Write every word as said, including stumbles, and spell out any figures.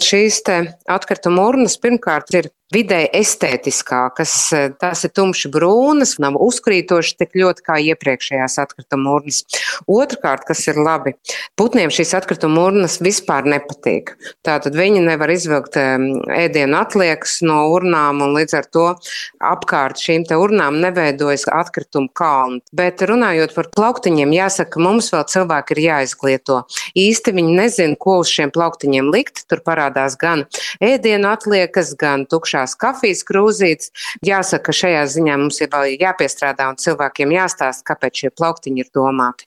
Šīs te atkrituma urnas pirmkārt ir vidēji estētiskākas, tās ir tumši brūnas, nav uzkrītošas tik ļoti kā iepriekšējās atkrituma urnas. Otrkārt, kas ir labi, putniem šīs atkrituma urnas vispār nepatīk. Tātad viņi nevar izvilkt ēdienu atliekas no urnām un līdz ar to apkārt šīm te urnām neveidojas atkritumu kalni. Bet runājot par plauktiņiem, jāsaka, ka mums vēl cilvēki ir jāizglieto. Īsti viņi nezina, ko uz šiem plauktiņiem likt, tur parādās gan ēdienu atliekas, gan tukšās kafijas krūzītes. Jāsaka, ka šajā ziņā mums ir vēl jāpiestrādā un cilvēkiem jāstāsta, kāpēc šie plauktiņi ir domāti.